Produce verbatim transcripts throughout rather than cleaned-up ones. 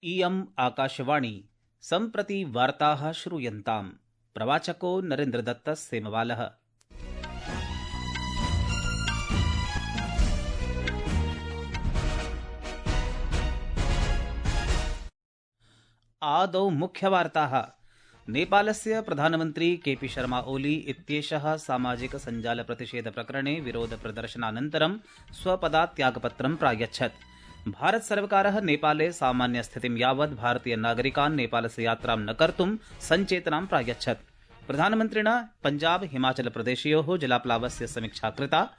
इयम् आकाशवाणी सम्प्रति वार्ताः श्रूयन्ताम्। प्रवाचको नरेन्द्रदत्त सेमवालः। आदौ मुख्यवार्ताः। नेपालस्य प्रधानमन्त्री केपी शर्मा ओली इत्येषः सामाजिक सञ्जाल प्रतिषेध प्रकरणे विरोध प्रदर्शनानन्तरं स्वपदात् त्यागपत्रं प्रायच्छत्। भारत सर्वकारः नेपाले सामान्य स्थितिं यावत् भारतीय नागरिकान् नेपालस्य यात्रां न कर्तुं सञ्चेतनां प्रायच्छत्। प्रधानमन्त्रिणा पञ्जाब हिमाचल प्रदेशयोः जलाप्लावस्य समीक्षा कृता।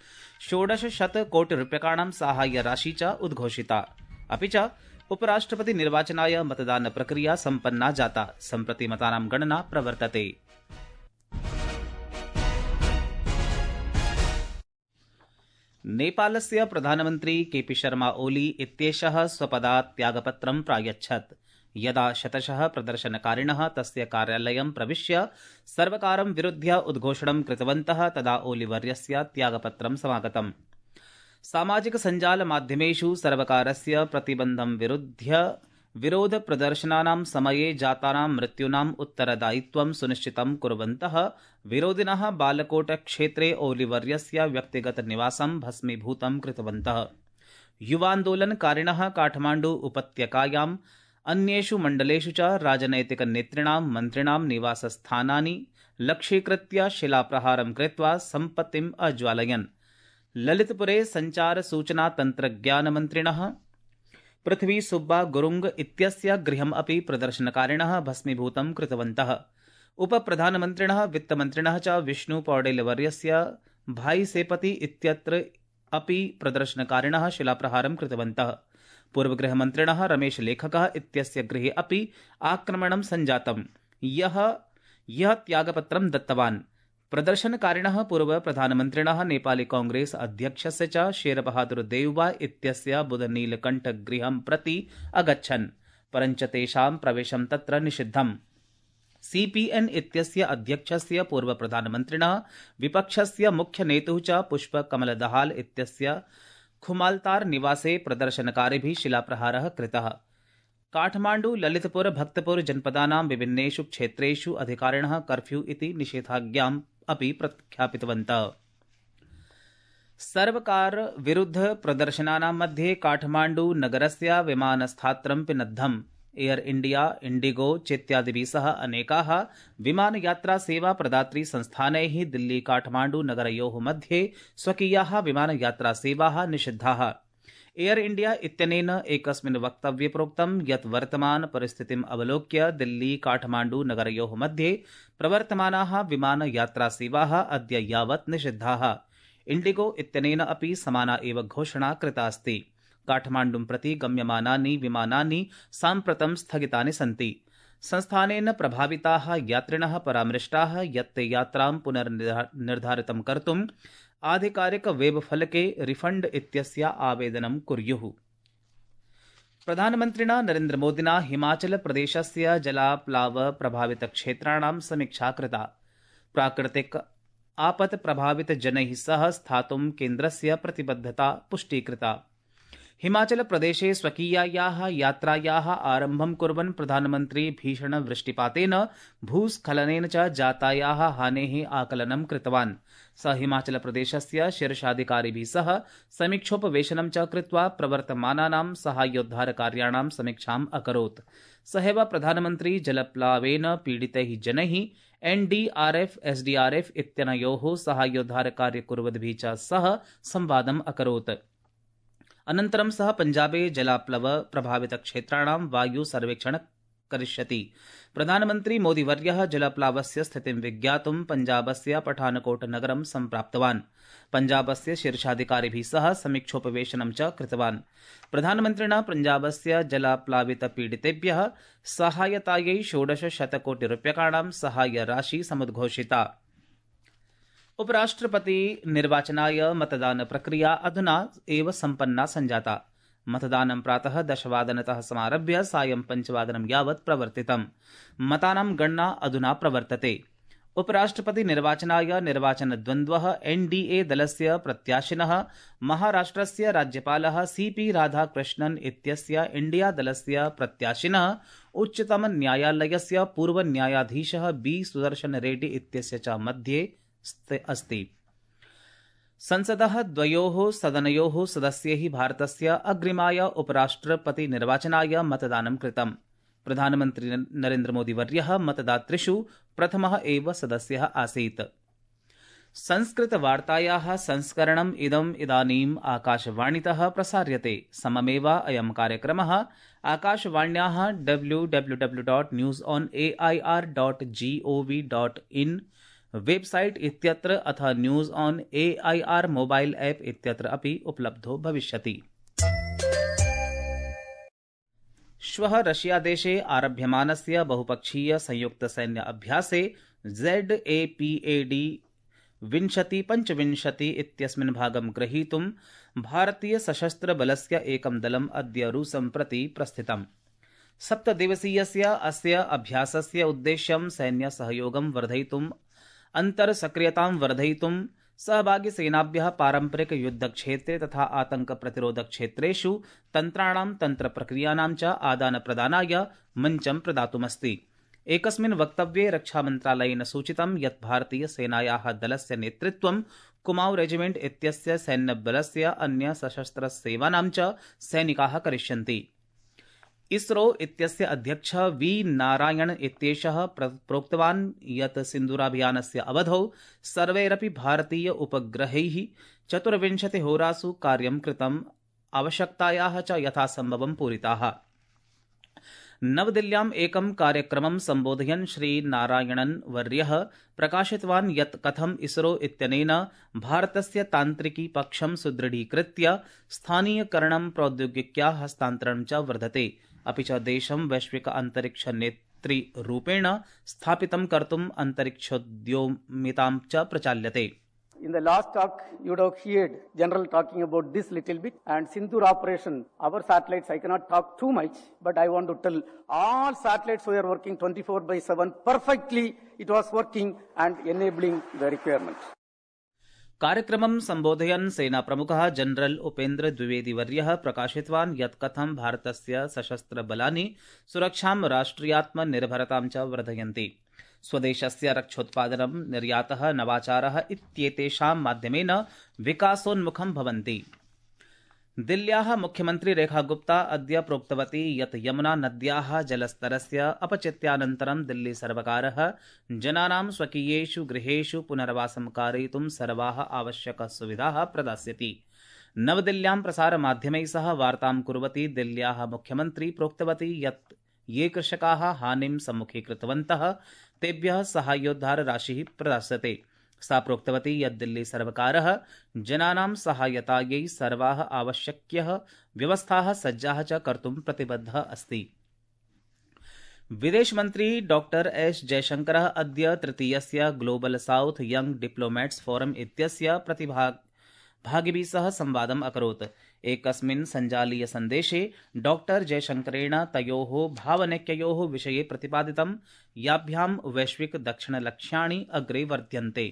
षोडशशत कोटि रूप्यकाणां साहाय्य राशि च उद्घोषिता। अपि च उपराष्ट्रपति निर्वाचनाय मतदान प्रक्रिया सम्पन्ना जाता। सम्प्रति मतानां गणना प्रवर्तते। नेपालस्य प्रधानमन्त्री केपी शर्मा ओली इत्येषः स्वपदात् त्यागपत्रं प्रायच्छत्। यदा शतशः प्रदर्शनकारिणः तस्य कार्यालयं प्रविश्य सर्वकारं विरुध्य उद्घोषणं कृतवन्तः तदा ओलीवर्यस्य त्यागपत्रं समागतम्। सामाजिक सञ्जाल माध्यमेषु सर्वकारस्य प्रतिबन्धं विरुध्य विरोध प्रदर्शनानां समये जातानां मृत्यूनाम् उत्तरदायित्वं सुनिश्चितं कुर्वन्तः विरोधिनः बालकोट क्षेत्रे ओलीवर्यस्य व्यक्तिगत निवासं भस्मीभूतं कृतवन्तः। युवान्दोलनकारिणः काठमाण्डु उपत्यकायाम् अन्येषु मण्डलेषु च राजनैतिक नेतृणां मन्त्रिणां निवासस्थानानि लक्ष्यीकृत्य शिलाप्रहारं कृत्वा सम्पत्तिम् अज्वालयन्। ललितपुरे संचार सूचना तन्त्रज्ञानमन्त्रिणः पृथ्वी सुब्बा गुरुंग इत्यस्य गृहम् अपि प्रदर्शनकारिणः भस्मीभूतं कृतवन्तः। उपप्रधानमन्त्रिणः वित्तमन्त्रिणः च विष्णु पौडेलवर्यस्य भाई सेपति इत्यत्र अपि प्रदर्शनकारिणः शिलाप्रहारं कृतवन्तः। पूर्वगृहमन्त्रिणः रमेश लेखकः इत्यस्य गृहे अपि आक्रमणं सञ्जातम्। यः यः त्यागपत्रं दत्तवान्। प्रदर्शनकारिणः पूर्वप्रधानमन्त्रिणः नेपाली कांग्रेस अध्यक्षस्य च शेरबहादुर देउवा इत्यस्य बुधनीलकण्ठगृहं प्रति अगच्छन्, परञ्च तेषां प्रवेशं तत्र निषिद्धम्। सीपीएन इत्यस्य अध्यक्षस्य पूर्वप्रधानमन्त्रिणः विपक्षस्य मुख्यनेतुः च पुष्पकमलदहाल इत्यस्य खुमाल्तार निवासे प्रदर्शनकारिभिः शिलाप्रहारः कृतः। काठमाण्डु ललितपुर भक्तपुर जनपदानां विभिन्नेषु क्षेत्रेषु अधिकारिणः कर्फ्यू इति निषेधाज्ञाम् अपि प्रख्यापितवन्तः। सर्वकार विरुद्ध प्रदर्शनानां मध्ये काठमाण्डु नगरस्य विमानस्थात्रं पिनद्धम्। एयर इंडिया, इंडिगो चेत्यादिभिः सह अनेकाः विमानयात्रा सेवा संस्थानैः दिल्ली काठमाण्डु नगरयोः मध्ये स्वकीयाः विमानयात्रासेवाः निषिद्धाः। एयर इंडिया इत्यनेन एकस्मिन् वक्तव्ये प्रोक्तं यत् वर्तमान परिस्थितिम् अवलोक्य दिल्ली काठमाण्डु नगरयोः मध्ये प्रवर्तमानाः विमानयात्रासेवाः अद्य यावत् निषिद्धाः। इंडिगो इत्यनेन अपि समाना एव घोषणा कृता अस्ति। काठमाण्डुं प्रति गम्यमानानि विमानानि साम्प्रतं स्थगितानि सन्ति। संस्थानेन प्रभाविताः यात्रिणः परामृष्टाः यत् ते यात्रां पुनर्निर्धारितं कर्तुम् आधिकारिक वेबफलके रिफंड इत्यस्य आवेदनं कुर्युः। प्रधानमन्त्रिणा नरेन्द्रमोदिना हिमाचल प्रदेशस्य जलाप्लाव प्रभावित क्षेत्राणां समीक्षा कृता। प्राकृतिक आपत् प्रभावित जनैः सह स्थातुं केन्द्रस्य प्रतिबद्धता पुष्टीकृता। हिमाचल प्रदेशे स्वकीयायाः यात्रायाः आरम्भं कुर्वन् प्रधानमन्त्री भीषण वृष्टिपातेन भूस्खलनेन च जातायाः हानेः आकलनं कृतवान्। स हिमाचल प्रदेशस्य शीर्षाधिकारिभिः सह समीक्षोपवेशनं च कृत्वा प्रवर्तमानानां साहाय्योद्धारकार्याणां समीक्षाम् अकरोत्। सहैव प्रधानमन्त्री जलप्लावेन पीडितैः जनैः एनडीआरएफ एसडीआरएफ इत्यनयोः साहाय्योद्धारकार्य कुर्वद्भिः च सह संवादम् अकरोत्। अनन्तरं सः पञ्जाबे जलाप्लव प्रभावित क्षेत्राणां वायु सर्वेक्षण करिष्यति। प्रधानमन्त्री मोदीवर्यः जलप्लावस्य स्थितिं विज्ञातुं पञ्जाबस्य पठानकोट नगरं सम्प्राप्तवान्। पञ्जाबस्य शीर्षाधिकारिभिः सह समीक्षोपवेशनं च कृतवान्। प्रधानमन्त्रिणा पञ्जाबस्य जलाप्लावित पीडितेभ्यः सहायतायै षोडश शतकोटि रूप्यकाणां साहाय्य राशि समुद्घोषिता। उपराष्ट्रपति निर्वाचनाय मतदान प्रक्रिया अधुना एव सम्पन्ना सञ्जाता। मतदानं प्रातः दशवादनतः समारभ्य सायं पञ्चवादनं यावत् प्रवर्तितम्। मतानां गणना अधुना प्रवर्तते। उपराष्ट्रपति निर्वाचनाय निर्वाचनद्वन्द्वः एनडीए दलस्य प्रत्याशिनः महाराष्ट्रस्य राज्यपालः सीपी राधाकृष्णन् इत्यस्य इंडिया दलस्य प्रत्याशिनः उच्चतम न्यायालयस्य पूर्वन्यायाधीशः बी सुदर्शन रेड्डी इत्यस्य च मध्ये अस्ति। संसदः द्वयोः सदनयोः सदस्यैः भारतस्य अग्रिमाय उपराष्ट्रपतिनिर्वाचनाय मतदानं कृतम्। प्रधानमन्त्री नरेन्द्रमोदीवर्यः मतदातृषु प्रथमः एव सदस्यः आसीत्। संस्कृतवार्तायाः संस्करणम् इदम् इदानीम् आकाशवाणीतः प्रसार्यते। सममेव अयं कार्यक्रमः आकाशवाण्याः W W W dot news on A I R dot G O V dot in website इत्यत्र अथ news on A I R mobile app इत्यत्र अपि उपलब्धो भविष्यति। श्वः रशियादेशे आरभ्यमानस्य बहुपक्षीय संयुक्त सैन्य अभ्यासे Z A P A D विंशति पञ्चविंशति इत्यस्मिन् भागं ग्रहीतुं भारतीय सशस्त्र बलस्य एकं दलम् अद्य रूसं प्रति प्रस्थितम्। सप्तदिवसीयस्य अस्य अभ्यासस्य उद्देश्यं सैन्य सहयोगं वर्धयितुम् अन्तर्सक्रियतां वर्धयितुं सहभागिसेनाभ्यः पारम्परिक युद्धक्षेत्रे तथा आतंक प्रतिरोध क्षेत्रेषु तन्त्राणां तन्त्रप्रक्रियाणां च आदानप्रदानाय मञ्चं प्रदातुमस्ति। एकस्मिन् वक्तव्ये रक्षामन्त्रालयेन सूचितं यत् भारतीयसेनायाः दलस्य नेतृत्वं कुमाऊं रेजिमेंट इत्यस्य सैन्यबलस्य अन्य सशस्त्रसेवानां च सैनिकाः करिष्यन्ति। इसरो इत्यस्य अध्यक्ष वी नारायण इत्येषः प्रोक्तवान् यत् सिन्दूराभियानस्य अवधौ सर्वैरपि भारतीय उपग्रहैः चतुर्विंशतिहोरासु कार्यं कृतम्, आवश्यकतायाः च यथासम्भवं पूरिताः। नवदिल्ल्याम् एकं कार्यक्रमं सम्बोधयन् श्रीनारायणन् वर्यः प्रकाशितवान् यत् कथम् इसरो इत्यनेन भारतस्य तान्त्रिकी पक्षं सुदृढीकृत्य स्थानीयकरणं प्रौद्योगिक्याः हस्तान्तरणं च वर्धते, अपि च देशं वैश्विक अन्तरिक्ष नेतृरूपेण स्थापितं कर्तुम् अन्तरिक्षोद्यमितां च प्रचाल्यते। In the last talk, you would have heard General talking about this little bit, and Sindoor operation, our satellites, I cannot talk too much, but I want to tell all satellites were working twenty-four by seven perfectly. It was working and enabling the requirements. कार्यक्रमं सम्बोधयन् सेनाप्रमुखः general Upendra द्विवेदीवर्यः प्रकाशितवान् यत् कथं भारतस्य सशस्त्रबलानि सुरक्षां राष्ट्रियात्मनिर्भरतां च वर्धयन्ति। स्वदेशस्य रक्षोत्पादनं, निर्यातः, नवाचारः इत्येतेषां माध्यमेन विकासोन्मुखं भवन्ति। दिल्ल्याः मुख्यमन्त्री रेखा गुप्ता अद्य प्रोक्तवती यत् यमुना नद्याः जलस्तरस्य अपचित्यानन्तरं दिल्ली सर्वकारः जनानां स्वकीयेषु गृहेषु पुनर्वासं कारयितुं सर्वाः आवश्यकाः सुविधाः प्रदास्यति। नवदिल्ल्यां प्रसारमाध्यमैः सह वार्तां कुर्वती दिल्ल्याः मुख्यमन्त्री प्रोक्तवती यत् ये कृषकाः हानिं सम्मुखीकृतवन्तः तेभ्यः साहाय्योद्धार राशिः प्रदास्यते। सा प्रोक्तवती यत् दिल्ली सर्वकारः जनानां सहायतायै सर्वाः आवश्यक्यः व्यवस्थाः सज्जाः च कर्तुं प्रतिबद्धः अस्ति। विदेशमन्त्री डॉक्टर एस जयशंकरः अद्य तृतीयस्य global south young diplomats forum इत्यस्य प्रतिभागिभिः सह संवादम् अकरोत्। एकस्मिन् सञ्जालीय सन्देशे डॉक्टर जयशंकरेण तयोः भावनैक्ययोः विषये प्रतिपादितं याभ्यां वैश्विक दक्षिणलक्ष्याणि अग्रे वर्ध्यन्ते।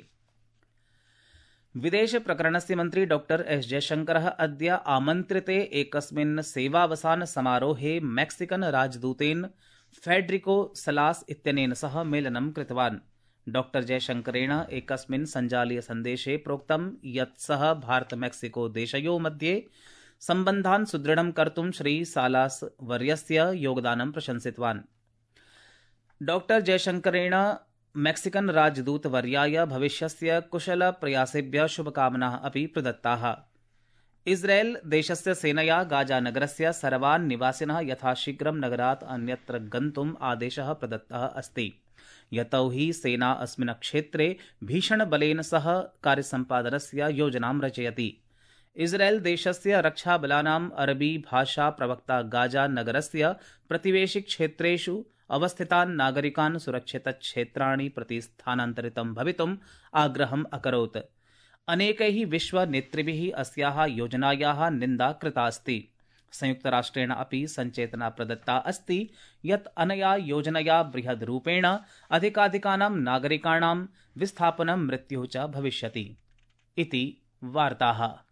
विदेश प्रकरणस्य मन्त्री डॉक्टर एस जयशंकरः अद्य आमन्त्रिते एकस्मिन् सेवावसान समारोहे मैक्सिकन राजदूतेन फेडरिको सलास इत्यनेन सह मेलनं कृतवान्। डॉक्टर जयशंकरेण एकस्मिन् सञ्जालीय सन्देशे प्रोक्तं यत् सः भारत मैक्सिको देशयोः मध्ये सम्बन्धान् सुदृढं कर्तुं श्री सालास वर्यस्य योगदानं प्रशंसितवान्। डॉक्टर जयशंकरेण मैक्सिकन राजदूतवर्याय भविष्यस्य कुशल प्रयासेभ्यः शुभकामनाः अपि प्रदत्ताः। इस्राएल देशस्य सेनया गाजा नगरस्य सर्वान् निवासिनः यथाशीघ्रं नगरात् अन्यत्र गन्तुम् आदेशः प्रदत्तः अस्ति। यतो हि सेना अस्मिन् क्षेत्रे भीषणबलेन सह कार्यसम्पादनस्य योजनां रचयति। इस्राएल देशस्य रक्षाबलानाम् अरबी भाषा प्रवक्ता गाजा नगरस्य प्रतिवेशि क्षेत्रेषु अवस्थितान् नागरिकान् सुरक्षितक्षेत्राणि प्रति स्थानान्तरितं भवितुम् आग्रहम् अकरोत्। अनेकैः विश्वनेतृभिः अस्याः योजनायाः निन्दा कृता अस्ति। संयुक्तराष्ट्रेण अपि सञ्चेतना प्रदत्ता अस्ति यत् अनया योजनया बृहद्रूपेण अधिकाधिकानां नागरिकाणां विस्थापनं मृत्युः च भविष्यति इति वार्ताः।